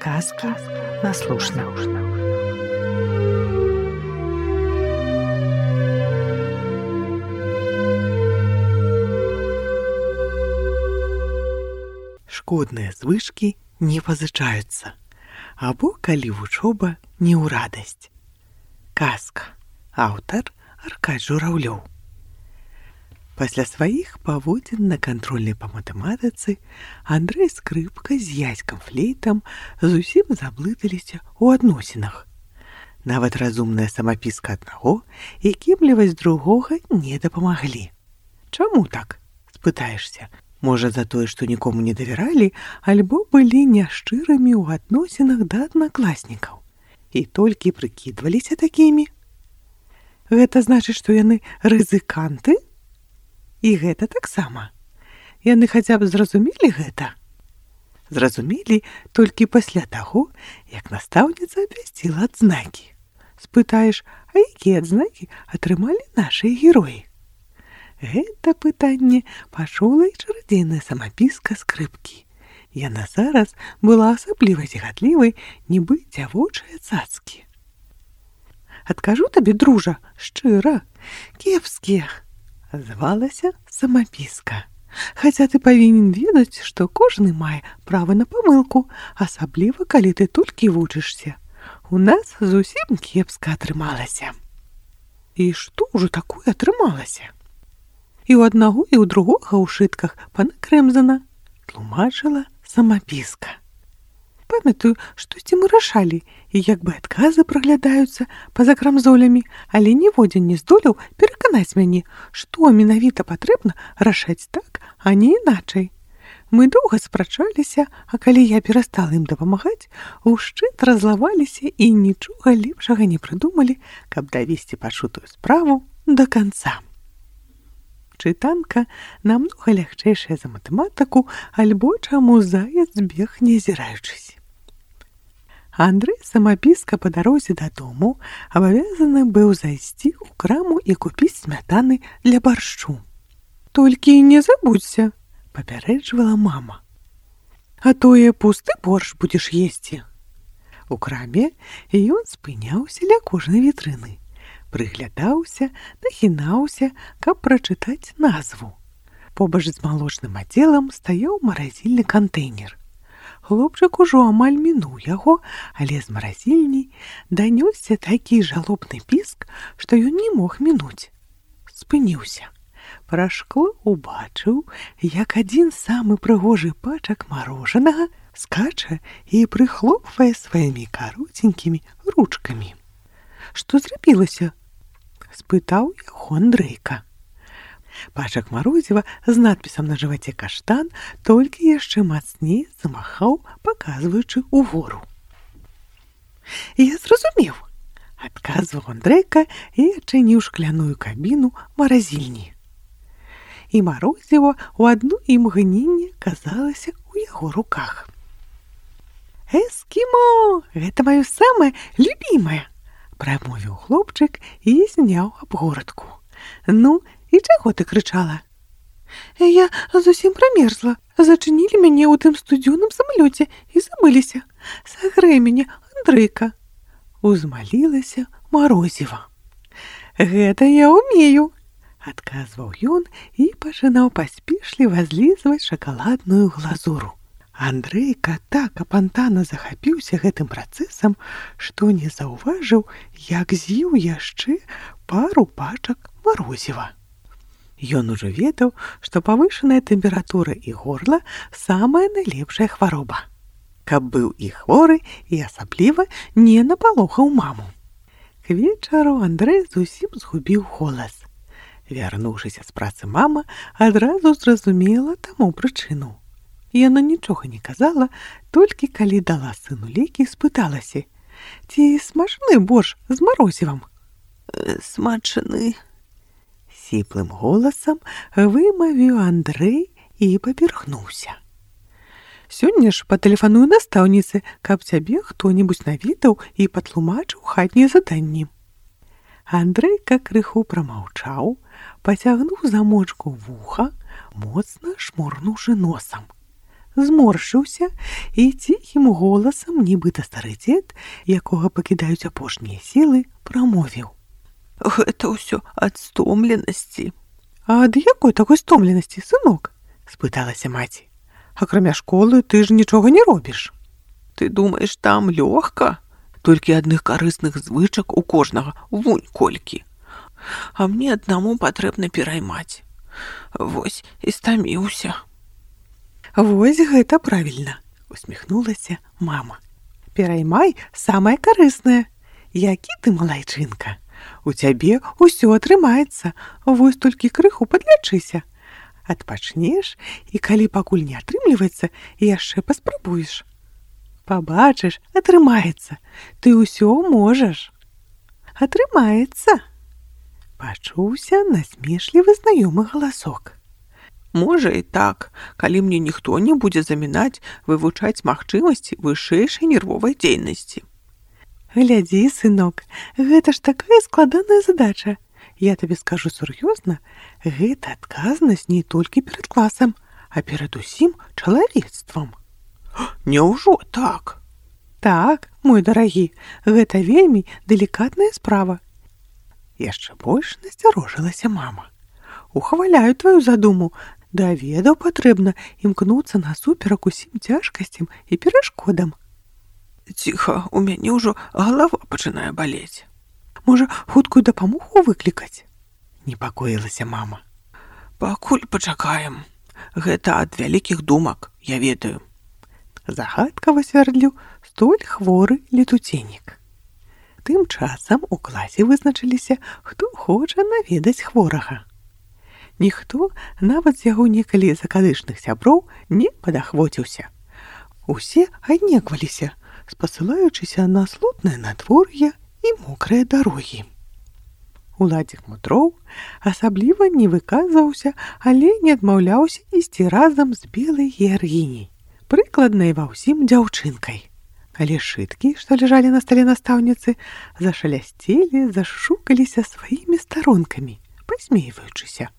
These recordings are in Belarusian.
Сказки на слушно. Шкодныя звычкі не пазычаюцца, або калі вучоба не ў радасць. Казка. Аўтар Аркадзь Журавлёў. Пасля сваіх паводзін на кантрольнай па матэматыцы Андрэй Скрыпка з Яськам Флейтам зусім заблыталіся ў адносінах. Нават разумная самапіска аднаго і кемлівасць другога не дапамаглі. Чаму так? Спытаешся. Можа, за тое, што нікому не давяралі, альбо былі няшчырымі ў адносінах да аднакласнікаў і толькі прыкідваліся такімі? Гэта значыць, што яны рызыканты? І гэта таксама. Яны хаця б зразумелі гэта? Зразумелі толькі пасля таго, як настаўніца абвясціла адзнакі. Спытаеш, а якія адзнакі атрымалі нашыя героі? Гэта пытанне пачула і чарадзейная самапіска Скрыпкі. Яна зараз была асабліва зігадлівай, нібы дзявочыя цацкі. Адкажу табе, дружа, шчыра, кепскія, звалася самапіска. Хаця ты павінен ведаць, што кожны мае права на памылку, асабліва калі ты толькі вучышся. У нас зусім кепска атрымалася. І што ўжо такое атрымалася? І ў аднаго, і ў другога ў шытках пана Крэмзана, тлумачыла самапіска. Памятаю, штосьці мы рашалі, і як бы адказы праглядаюцца па-за крамзолямі, але ніводзін не здолеў пераканаць мяне, што менавіта патрэбна рашаць так, а не іначай. Мы доўга спрачаліся, а калі я перастала ім дапамагаць, ушчыт разлаваліся і нічога лепшага не прыдумалі, каб давесці пачутую справу да канца. Чытанка намнога лягчэйшая за матэматыку, альбо чаму заяц бег не азіраючыся. Андрэй самапіска па дарозе дадому абавязаны быў зайсці ў краму і купіць смятаны для баршчу. «Толькі не забудзься», – папярэджвала мама. «А тое пусты боршч будзеш есці». У краме ён спыняўся ля кожнай вітрыны. Прыглядаўся, нахінаўся, каб прачытаць назву. Побач з малочным аддзелам стаяў маразільны кантэйнер. Хлопчык ужо амаль мінуў яго, але з маразільні данёсся такі жалобны піск, што ён не мог мінуць. Спыніўся. Праз шкло убачыў, як адзін самы прыгожы пачак марожанага скача і прыхлопвае сваімі кароценькімі ручкамі. «Што зрабілася?» – спытаў яго Андрейка. Пачак марозіва з надпісам на жываце «Каштан» толькі яшчэ мацней замахаў, паказваючы ўгору. «Я зразумеў», – адказваў Андрейка і адчыніў шкляную кабіну маразільні. І марозіва ў адно імгненне казалася ў яго руках. «Эскімо! Гэта маё самае любімае!» – прамовіў хлопчык і зняў абгородку. «Ну, і чаго ты крычала?» «Я зусім прамерзла. Зачынілі мяне ў тым студзёным самалёце і забыліся. Сагрэй мяне, Андрейка!» – узмалілася марозіва. «Гэта я ўмею!» – адказваў ён і пачынаў паспешліва злізваць шакаладную глазуру. Андрейка так апантана захапіўся гэтым працэсам, што не заўважыў, як з'еў яшчэ пару пачак марозіва. Ён ужо ведаў, што павышаная тэмпература і горла самая найлепшая хвароба. Каб быў і хворы, і асабліва не напалохаў маму. К вечару Андрэй зусім згубіў голас. Вярнуўшыся з працы мама адразу зразумела таму прычыну. Яна нічога не казала, толькі калі дала сыну лекі, спыталася: «Ці смачны боршч з марозівам?» «Смачны», – сіплым голасам вымавіў Андрэй і паперхнуўся. «Сёння ж патэлефаную настаўніцы, каб цябе хто-небудзь наведаў і патлумачыў хатнія заданні». Андрейка крыху прамаўчаў, пацягнуў замочку вуха, моцна шморгнуўшы носам. зморшыўся і ціхім голасам, нібыта стары дзед, якога пакідаюць апошнія сілы, прамовіў: «Гэта ўсё ад стомленасці». «А ад якой такой стомленасці, сынок?» – спыталася маці. «Акрамя школы ты ж нічога не робіш». «Ты думаеш, там лёгка? Толькі адных карысных звычак у кожнага вунь колькі. А мне аднаму патрэбна пераймаць. Вось і стаміўся». «Вось гэта правільна», – усміхнулася мама. «Пераймай самае карыснае. Які ты малайчынка. У цябе ўсё атрымаецца, вось толькі крыху падлячыся. Адпачнеш, і калі пакуль не атрымліваецца, яшчэ паспрабуеш. Пабачыш, атрымаецца. Ты ўсё можаш». «Атрымаецца», – пачуўся насмешлівы знаёмы галасок. «Можа і так, калі мне ніхто не будзе замінаць вывучаць магчымасці вышэйшай нервовай дзейнасці». «Глядзі, сынок, гэта ж такая складаная задача. Я табе скажу сур'ёзна, гэта адказнасць не толькі перад класам, а перад усім чалавецтвам». «Няўжо так?» «Так, мой дарагі, гэта вельмі далікатная справа». Яшчэ больш насцярожылася мама. «Ухваляю тваю задуму. Да ведаў патрэбна імкнуцца насуперак усім цяжкасцям і перашкодам». «Ціха, у мяне ўжо галава пачынае балець». «Можа, хуткую дапамогу выклікаць?» – непакоілася мама. «Пакуль пачакаем. Гэта ад вялікіх думак, я ведаю». Загадкава свярдліў столь хворы летуценнік. Тым часам у класе вызначыліся, хто хоча наведаць хворага. Ніхто, нават з яго некалі закадычных сяброў, не падахвоціўся. Усе аднекваліся, спасылаючыся на слотнае надвор'е і мокрыя дарогі. Уладзік Мудроў асабліва не выказваўся, але не адмаўляўся ісці разам з белай геаргіняй, прыкладнай ва ўсім дзяўчынкай. Але шыткі, што ляжалі на стале настаўніцы, зашалясцелі, зашукаліся сваімі старонкамі, пасмейваючыся.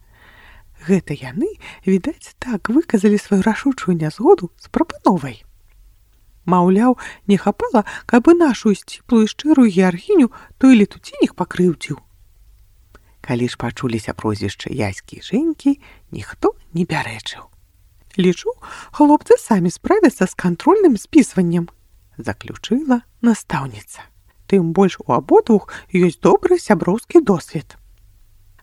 Гэта яны, відаць, так выказалі сваю рашучую нязгоду з прапановай. Маўляў, не хапала, каб і нашу сціплую шчырую геаргіню той летуценік пакрыўдзіў. Калі ж пачуліся прозвішчы Яські і Жэнькі, ніхто не пярэчыў. «Лічу, хлопцы самі справяцца з кантрольным спісваннем», – заключыла настаўніца. «Тым больш у абодвух ёсць добры сяброўскі досвед.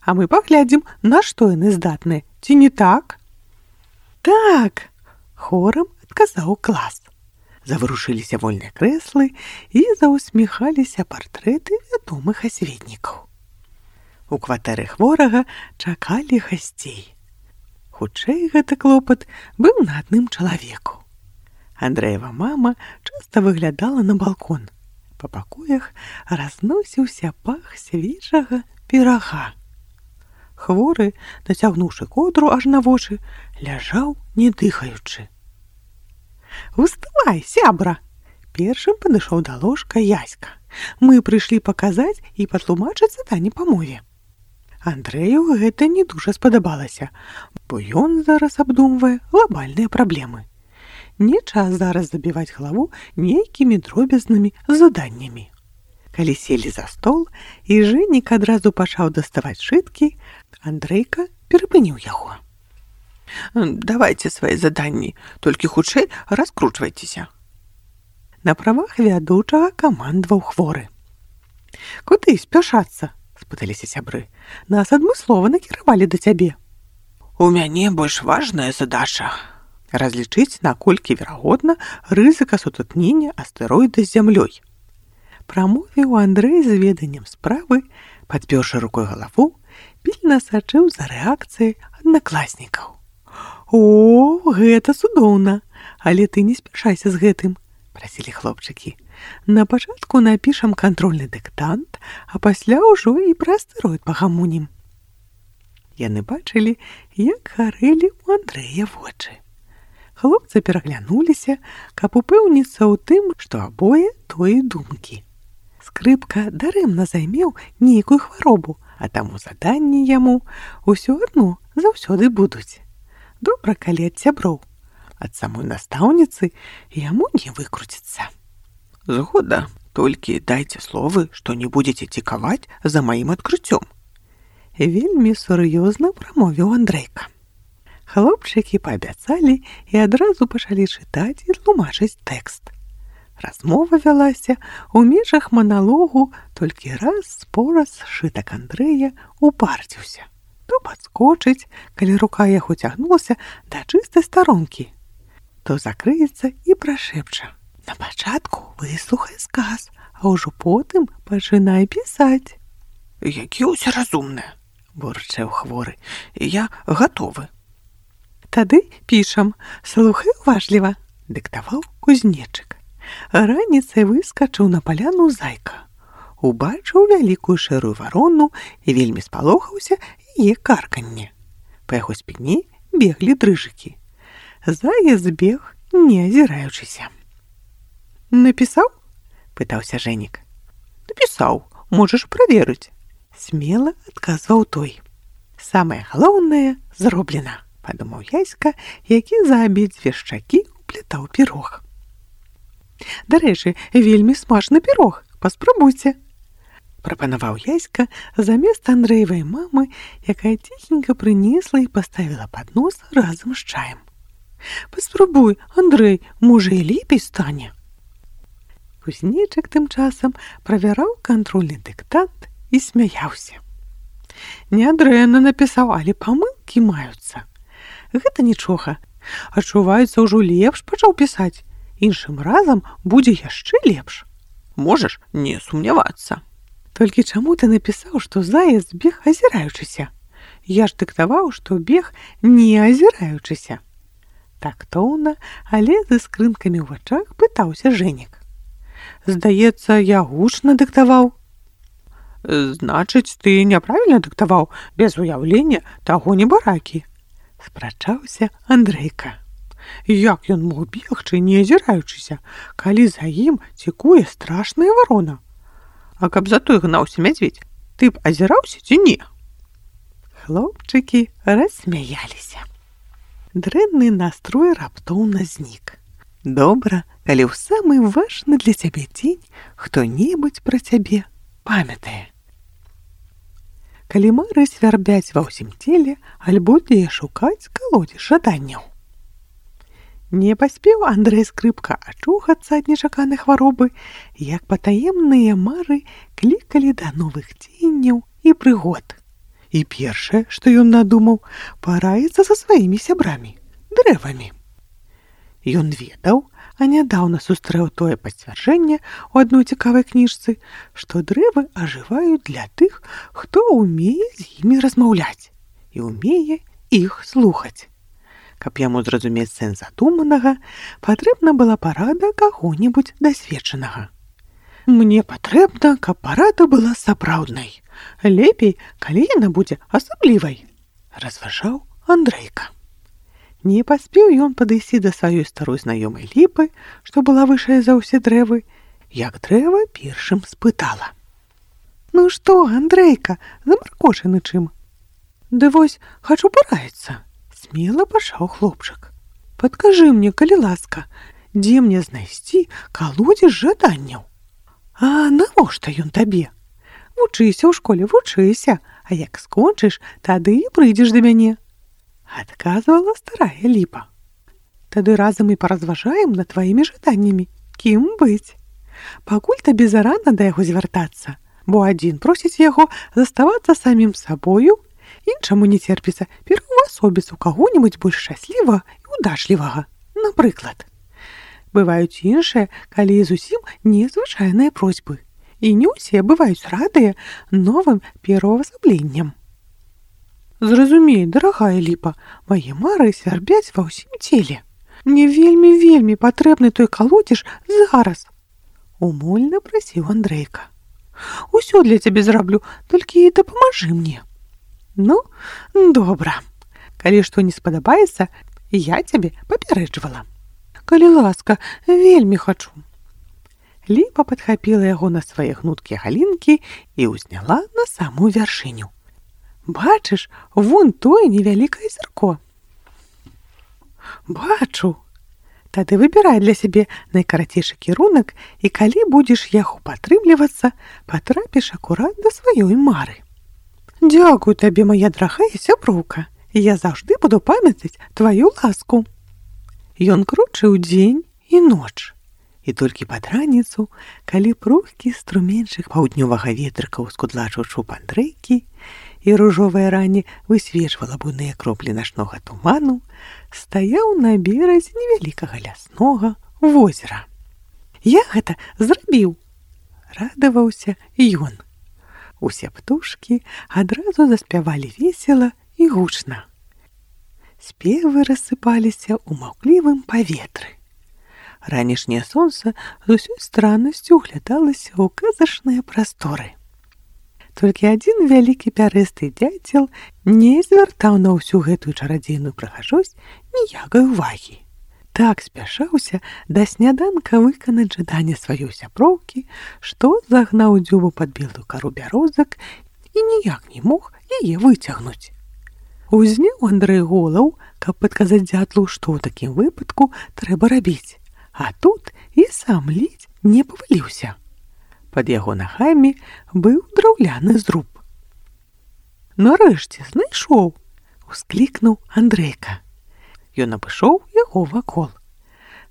А мы паглядзім, на што яны здатныя, ці не так?» «Так!» – хорам адказаў клас. Заварушыліся вольныя крэслы і заўсміхаліся партрэты вядомых асветнікаў. У кватэры хворага чакалі гасцей. Хутчэй гэты клопат быў на адным чалавеку. Андрэева мама часта выглядала на балкон. Па пакоях разносіўся пах свежага пірага. Хворы, нацягнуўшы коўдру аж на вочы, ляжаў, не дыхаючы. «Уставай, сябра!» – першым падышоў да ложка Яська. «Мы прыйшлі паказаць і патлумачыць заданне па мове». Андрэю гэта не дужа спадабалася, бо ён зараз абдумвае глобальныя праблемы. Не час зараз забіваць галаву нейкімі дробязнымі заданнямі. Калі селі за стол, і Жэнік адразу пачаў даставаць шыткі, Андрейка перапыніў яго. «Давайце свае заданні, толькі хутчэй раскручвайцеся». На правах вядучага камандаваў хворы. «Куды спяшацца?» – спыталіся сябры. «Нас адмыслова накіравалі да цябе». «У мяне больш важная задача – разлічыць, наколькі верагодна рызыка сутыкнення астэроіда з зямлёй». Прамовіў Андрэй з веданнем справы, падпёршы рукой галаву, пільна сачыў за рэакцыяй аднакласнікаў. «О, гэта цудоўна! Але ты не спяшайся з гэтым», – прасілі хлопчыкі. «На пачатку напішам кантрольны дыктант, а пасля ўжо і пра астэроід пагамонім». Яны бачылі, як гарэлі ў Андрэя вочы. Хлопцы пераглянуліся, каб упэўніцца ў тым, што абое тое думкі. Скрыпка дарэмна займеў нейкую хваробу, а таму заданні яму ўсё адно заўсёды будуць. Добра, калі ад сяброў. Ад самой настаўніцы яму не выкруціцца. Згода, толькі дайце словы, што не будзеце цікаваць за маім адкрыццём. Вельмі сур'ёзна прамовіў Андрейка. Хлопчыкі паабяцалі і адразу пачалі чытаць і тлумачыць тэкст. Размова вялася ў межах маналогу, толькі раз-пораз сшытак Андрэя упарціўся. То падскочыць, калі рука яго цягнулася да чыстай старонкі, то закрыецца і прашэпча: «На пачатку выслухай сказ, а ўжо потым пачынай пісаць». «Які ўсе разумныя!» – бурчэў хворы. «Я гатовы». «Тады пішам, слухай уважліва», – дыктаваў кузнечык. Раніцай выскачыў на паляну зайка. Убачыў вялікую шэрую варону і вельмі спалохаўся яе карканне. Па яго спіне беглі дрыжыкі. Заяц бег, не азіраючыся. «Напісаў?» – пытаўся Жэнік. «Напісаў, можаш праверыць», – смела адказваў той. «Самае галоўнае зроблена», – падумаў Яська, які за абедзве шчакі уплятаў пірог. «Дарэчы, вельмі смачны пірог, паспрабуйце», – прапанаваў Яська замест Андрэевай мамы, якая ціхенька прынесла і паставіла паднос разам з чаем. «Паспрабуй, Андрэй, можа і лепей стане». Кузнечык тым часам правяраў кантрольны дыктант і смяяўся. «Нядрэнна напісаў, але памылкі маюцца. Гэта нічога. Адчуваецца, ўжо лепш пачаў пісаць. Іншым разам будзе яшчэ лепш». «Можаш не сумнявацца». «Толькі чаму ты напісаў, што заяц бег азіраючыся? Я ж дыктаваў, што бег не азіраючыся». Тактоўна, але з іскрынкамі ў вачах пытаўся Жэнік. «Здаецца, я гучна дыктаваў». «Значыць, ты няправільна дыктаваў, без уяўлення таго небаракі», – спрачаўся Андрейка. «Як ён мог бегчы, не азіраючыся, калі за ім цікуе страшная варона? А каб за той гнаўся мядзведзь, ты б азіраўся ці не?» Хлопчыкі рассмяяліся. Дрэнны настрой раптоўна знік. Добра, калі ў самы важны для цябе дзень хто-небудзь пра цябе памятае. Калі мары свярбяць ва ўсім целе, альбо дзе шукаць калодзеж жаданняў. Не паспеў Андрэй Скрыпка ачухацца ад нечаканай хваробы, як патаемныя мары клікалі да новых дзеянняў і прыгод. І першае, што ён надумаў, параіцца са сваімі сябрамі, дрэвамі. Ён ведаў, а нядаўна сустрэў тое пацвярджэнне ў адной цікавай кніжцы, што дрэвы ажываюць для тых, хто ўмее з імі размаўляць і ўмее іх слухаць. Каб яму зразумець сэнс задуманага, патрэбна была парада каго-небудзь дасведчанага. «Мне патрэбна, каб парада была сапраўднай. Лепей, калі яна будзе асаблівай», – разважаў Андрейка. Не паспеў ён падысці да сваёй старой знаёмай ліпы, што была вышэй за ўсе дрэвы, як дрэва першым спытала: «Ну што, Андрейка, замаркочаны чым?» «Ды вось, хачу параіцца», – смела пачаў хлопчык. «Падкажы мне, калі ласка, дзе мне знайсці калодзеж жаданняў?» «А навошта ён табе? Вучыся ў школе, вучыся, а як скончыш, тады і прыйдзеш да мяне», – адказвала старая ліпа. «Тады разам і паразважаем над тваімі жаданнямі, кім быць. Пакуль табе зарана да яго звяртацца, бо адзін просіць яго заставацца самім сабою, іншаму не церпіцца пераўвасобіць у каго-небудзь больш шчаслівага і удачлівага, напрыклад. Бываюць іншыя, калі зусім незвычайныя просьбы, і не ўсе бываюць радыя новым пераўвасабленням. Зразумей, дарагая ліпа, мае мары свярбяць ва ўсім целе. Мне вельмі патрэбны той калодзеж зараз», – умольна прасіў Андрейка. «Усё для цябе зраблю, толькі дапамажы мне». «Ну, добра. Калі што не спадабаецца, я цябе папярэджвала. Калі ласка, вельмі хачу». Ліпа падхапіла яго на свае гнуткія галінкі і ўзняла на самую вяршыню. «Бачыш, вон тое невялікае зірко». «Бачу», Тады выбірай для сябе найкарацейшы кірунак, і калі будзеш яго падтрымлівацца, патрапіш акурат да сваёй мары. Дзякую табе, моя дарагая сяброўка. Я заўжды буду памятаць тваю ласку. Ён крочыў дзень і ноч. І толькі пад раніцу, калі прухкі струменьчык паўднёвага ветрыка ўскудлачыў чуб Андрэйкі, і ружовая рані высвечвала буйныя кроплі начнога туману, стаяў на беразе невялікага ляснога возера. Я гэта зрабіў, радаваўся ён. Усе птушкі адразу заспявалі весела і гучна. Спевы рассыпаліся ў маўклівым паветры. Ранішняе сонца з усёй страннасцю углядалася ў казачныя прасторы. Толькі адзін вялікі пярэсты дзяцел не звяртаў на ўсю гэтую чарадзейную прыгажосць ніякай увагі. Так спяшаўся да сняданка выканаць жаданне сваёй сяброўкі, што загнаў дзюбу пад белую кару бярозак і ніяк не мог яе выцягнуць. Узняў Андрэй голаў, каб падказаць дзятлу, што ў такім выпадку трэба рабіць, а тут і сам ледзь не паваліўся. Пад яго нагамі быў драўляны зруб. «Нарэшце знайшоў!» — усклікнуў Андрэйка. Ён абышоў яго вакол.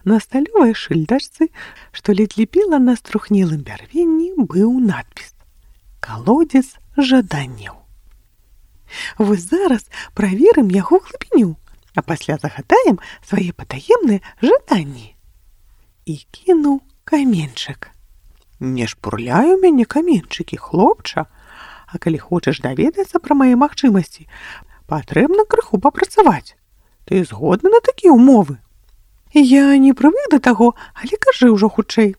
На сталёвай шыльдачцы, што ледзь ліпела на струхнелым бярвенні, быў надпіс «Калодзец жаданняў». «Вось зараз праверым яго глыбіню, а пасля загадаем свае патаемныя жаданні». І кінуў каменьчык. «Не шпурляй у мяне каменьчыкі, хлопча, а калі хочаш даведацца пра мае магчымасці, патрэбна крыху папрацаваць. Ты згодны на такія ўмовы?» «Я не прывык да таго, але кажы ўжо хутчэй».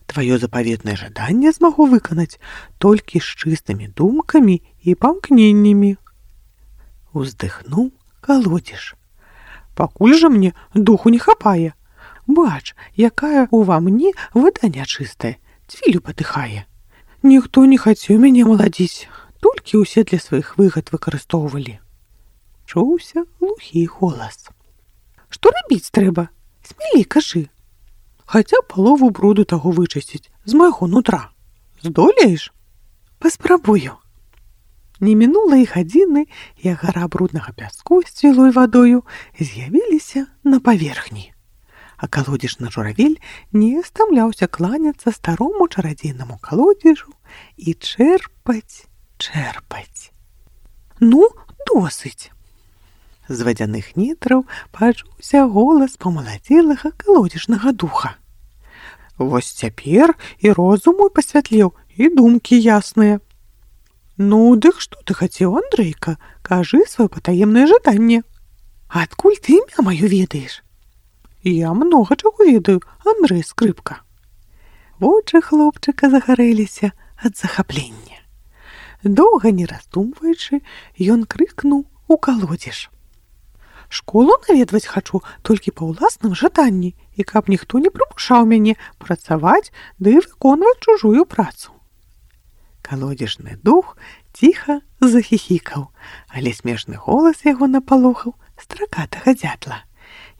«Тваё запаветнае жаданне змагу выканаць толькі з чыстымі думкамі і памкненнямі». Уздыхнуў калодзеж. «Пакуль жа мне духу не хапае. Бач, якая ўва мне вода нячыстая, цвілю патыхае. Ніхто не хацеў мяне маладзіць, толькі ўсе для сваіх выгад выкарыстоўвалі». Чуўся глухі голас. «Што рабіць трэба? Смелей кажы. Хаця палову бруду таго вычысціць з майго нутра. Здолееш?» «Паспрабую». Не мінула і гадзіны, як гара бруднага пяску з цвілой вадою з'явіліся на паверхні. А калодзежны журавель не стамляўся кланяцца старому чарадзейнаму калодзежу і чэрпаць. «Ну, досыць!» З вадзяных нетраў пачуўся голас памаладзелага калодзежнага духа. «Вось цяпер і розум мой пасвятлеў, і думкі ясныя». «Ну, дык што ты хацеў, Андрейка? Кажы сваё патаемнае жаданне». «Адкуль ты імя маё ведаеш?» «Я многа чаго ведаю, Андрэй Скрыпка». Вочы хлопчыка загарэліся ад захаплення. Доўга не раздумваючы, ён крыкнуў у калодзеж. «Школу наведваць хачу толькі па ўласным жаданні, і каб ніхто не прымушаў мяне працаваць ды выконваць чужую працу». Калодзежны дух ціха захіхікаў, але смешны голас яго напалохаў стракатага дзятла,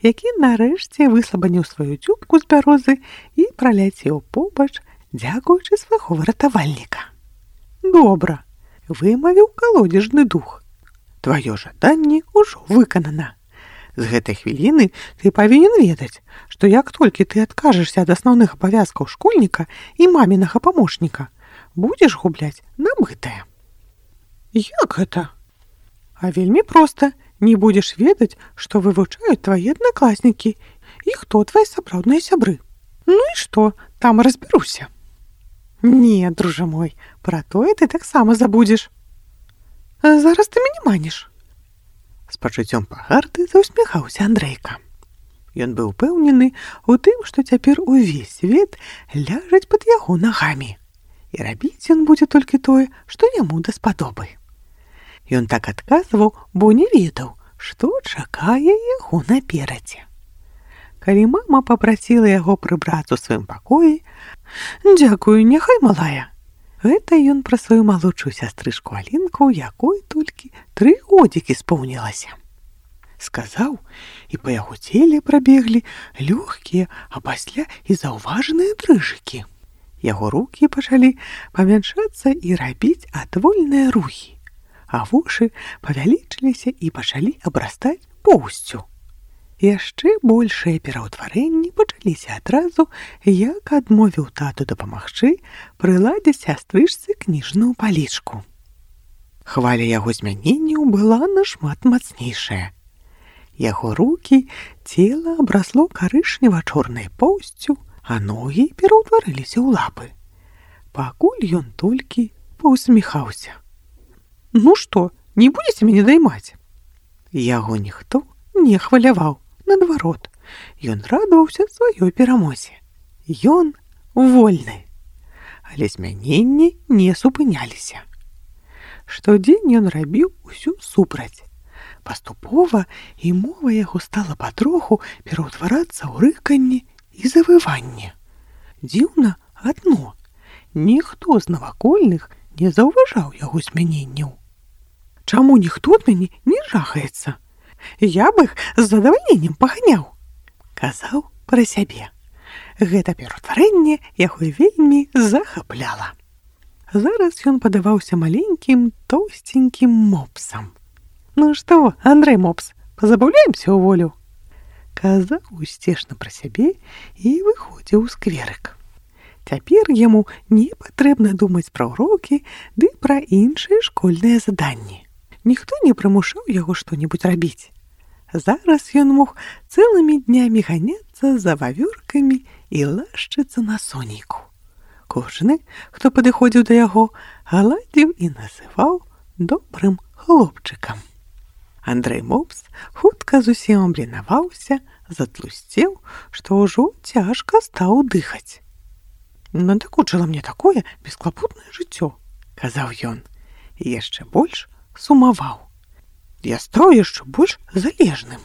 які нарэшце выслабаніў сваю дзюбку з бярозы і праляцеў побач, дзякуючы свайго выратавальніка. «Добра», — вымавіў калодзежны дух. «Тваё жаданне ўжо выканана. З гэтай хвіліны ты павінен ведаць, што як толькі ты адкажешся ад асноўных абавязкаў школьніка і мамінага памочніка, будзеш губляць набытае». «Як гэта?» «А вельмі проста. Не будзеш ведаць, што вывучаюць твае аднакласнікі і хто твае сапраўдныя сябры. Ну і што, там разбяруся». «Не, дружа мой, пра тое ты таксама забудзеш». «Зараз ты мяне маніш». З пачуццём пагарды заўсміхаўся Андрейка. Ён быў упэўнены ў тым, што цяпер увесь свет ляжаць пад яго нагамі, і рабіць ён будзе толькі тое, што яму даспадобы. Ён так адказваў, бо не ведаў, што чакае яго наперадзе. Калі мама папрасіла яго прыбрацца ў сваім пакоі: «Дзякую, няхай малая». Гэта ён пра сваю малодшую сястрычку Алінку, якой толькі 3 годзікі споўнілася. Сказаў і па яго целе прабеглі лёгкія, а пасля і заўважаныя дрыжыкі. Яго рукі пачалі памяншацца і рабіць адвольныя рухі, а вушы павялічыліся і пачалі абрастаць поўсцю. Яшчэ большыя пераўтварэнні пачаліся адразу, як адмовіў тату дапамагчы прыладзіць сястрычцы кніжную палічку. Хваля яго змяненняў была нашмат мацнейшая. Яго рукі, цела абрасло карычнева-чорнай поўсцю, а ногі пераўтварыліся ў лапы. Пакуль ён толькі паўсміхаўся. «Ну што, не будзеце мяне даймаць?» Яго ніхто не хваляваў, наадварот, ён радаваўся сваёй перамозе. Ён вольны. Але змяненні не супыняліся. Штодзень ён рабіў усё супраць. Паступова і мова яго стала патроху пераўтварацца ў рыканне і завыванне. Дзіўна адно. Ніхто з навакольных не заўважаў яго змяненняў. «Чаму ніхто ад мяне не жахаецца? Я б іх з задавальненнем паганяў», — казаў пра сябе. Гэта пераўтварэнне яго вельмі захапляла. Зараз ён падаваўся маленькім, тоўсценькім мопсам. «Ну што, Андрэй Мопс, пазабаўляемся ў волю?» Казаў усцешна пра сябе і выходзіў у скверык. Цяпер яму не патрэбна думаць пра ўрокі ды пра іншыя школьныя заданні. Ніхто не прымушаў яго што-небудзь рабіць. Зараз ён мог цэлымі днямі ганяцца за вавёркамі і лашчыцца на сонейку. Кожны, хто падыходзіў да яго, гладзіў і называў добрым хлопчыкам. Андрэй Мопс хутка зусім абленаваўся, затлусцеў, што ўжо цяжка стаў дыхаць. «Надакучыла мне такое бесклапотнае жыццё», — казаў ён, і яшчэ больш сумаваў. «Я стаў яшчэ больш залежным.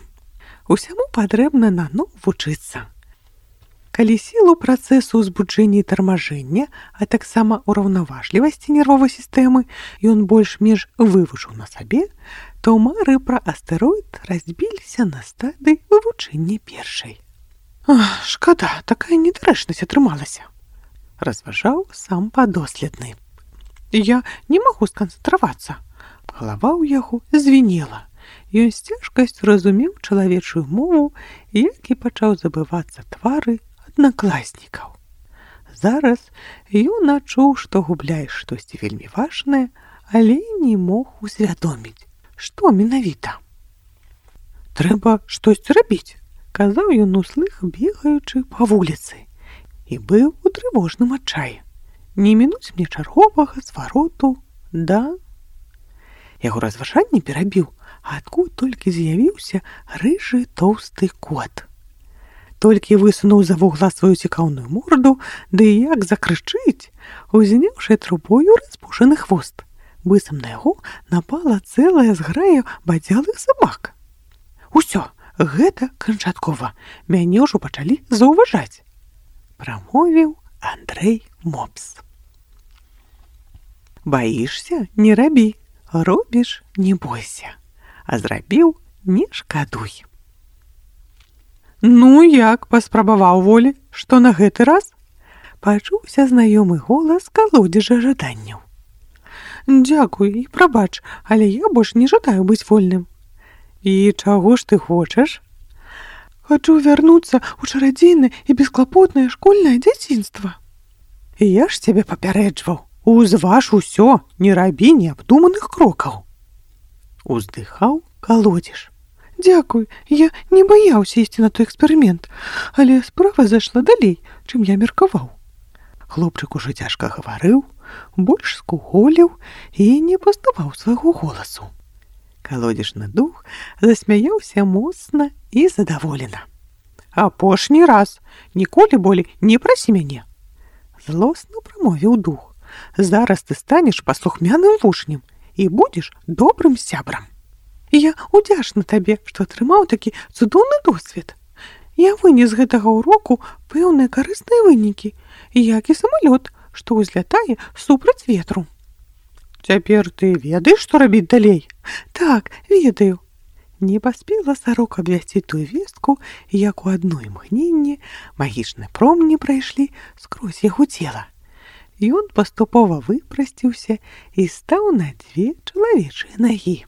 Усяму патрэбна наноў вучыцца». Калі сілу працэсу ўзбуджэння і тармажэння, а таксама ўраўнаважлівасці нервовай сістэмы ён больш-менш вывучыў на сабе, то мары пра астэроід разбіліся на стадыі вывучэння першай. «Шкада, такая недарэчнасць атрымалася», — разважаў сам падоследны. «Я не магу сканцэнтравацца». Галава ў яго звінела. Ён з цяжкасцю разумеў чалавечую мову, як і пачаў забывацца твары аднакласнікаў. Зараз ён адчуў, што губляе штосьці вельмі важнае, але не мог усвядоміць, што менавіта. «Трэба штосьці рабіць», — казаў ён услых, бегаючы па вуліцы, і быў у трывожным адчаі. «Не мінуць мне чарговага звароту, да?» Яго разважанне перабіў, адкуль толькі з'явіўся рыжы тоўсты кот. Толькі высунуў за вугла сваю цікаўную морду, ды як закрычыць, узняўшы трубою распушаны хвост. Быццам на яго напала цэлая зграя бадзялых сабак. «Усё, гэта канчаткова, мяне ўжо пачалі заўважаць», — прамовіў Андрэй Мопс. «Баішся, не рабі, робіш, не бойся, а зрабіў, не шкадуй». «Ну як, паспрабаваў волі, што на гэты раз?» Пачуўся знаёмы голас калодзежа жаданняў. «Дзякуй і прабач, але я больш не жадаю быць вольным». «І чаго ж ты хочаш?» «Хачу вярнуцца ў чарадзейнае і бесклапотнае школьнае дзяцінства». «Я ж цябе папярэджваў, узваж усё, не рабі неабдуманых крокаў». Уздыхаў калодзеж. «Дзякуй, я не баяўся ісці на той эксперымент, але справа зайшла далей, чым я меркаваў». Хлопчык ужо цяжка гаварыў, больш скуголіў і не паставаў свайго голасу. Калодзежны дух засмяяўся моцна і задаволена. «Апошні раз, ніколі болей не прасі мяне», — злосна прамовіў дух. «Зараз ты станеш паслухмяным вучнем і будзеш добрым сябрам. Я удзячна табе, што атрымаў такі цудоўны досвед. Я вынес з гэтага ўроку пэўныя карысныя вынікі, як і самалёт, што ўзлятае супраць ветру». «Цяпер ты ведаеш, што рабіць далей?» «Так, ведаю». Не паспела сарока абвясціць тую вестку, як у адно імгненне магічны промні прайшлі скрозь яго цела. Ён паступова выпрасціўся і стаў на 2 чалавечыя нагі.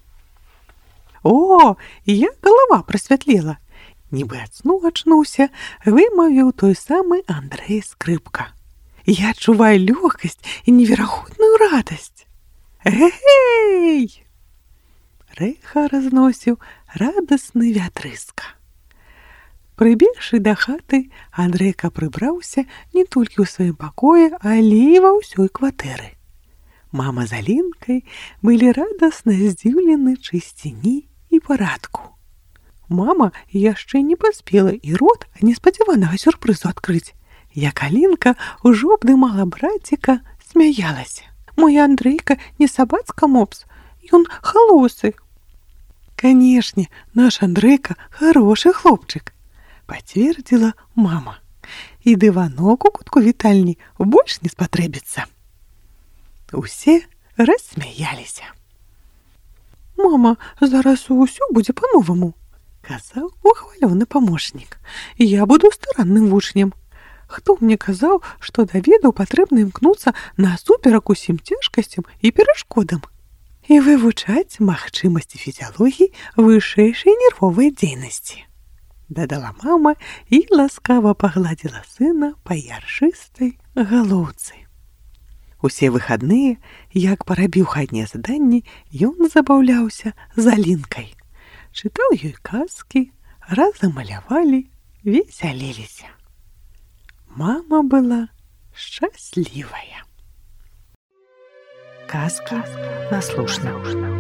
О, як галава прасвятлела! Нібы ад сну ачнуўся, вымавіў той самы Андрэй Скрыпка. Я адчуваю лёгкасць і неверагодную радасць. Эй! Рэха разносіў радасны вятрыска. Прыбегшы да хаты, Андрэйка прыбраўся не толькі ў сваім пакоі, але і ва ўсёй кватэры. Мама з Алінкай былі радасна здзіўлены чысціні і парадку. Мама яшчэ не паспела і рот неспадзяванага сюрпрызу адкрыць, як Алінка ўжо абдымала браціка, смяялася. Мой Андрейка не сабацка мопс, ён халосы. Канешне, наш Андрейка хорошы хлопчык, пацвердзіла мама. І дыванок у кутку вітальні больш не спатрэбіцца. Усе рассмяяліся. Мама, зараз усё будзе па-новаму, казаў ухвалёны памочнік. Я буду старанным вучнем. Хто мне казаў, што да ведаў патрэбна імкнуцца насуперак усім цяжкасцям і перашкодам і вывучаць магчымасці фізіялогіі вышэйшай нервовай дзейнасці, дадала мама і ласкава пагладзіла сына па яршыстай галоўцы. Усе выхадныя, як парабіў хатнія заданні, ён забаўляўся з Алінкай. Чытаў ёй казкі, разам малявалі, весяліліся. Мама была шчаслівая. Казка наслушна.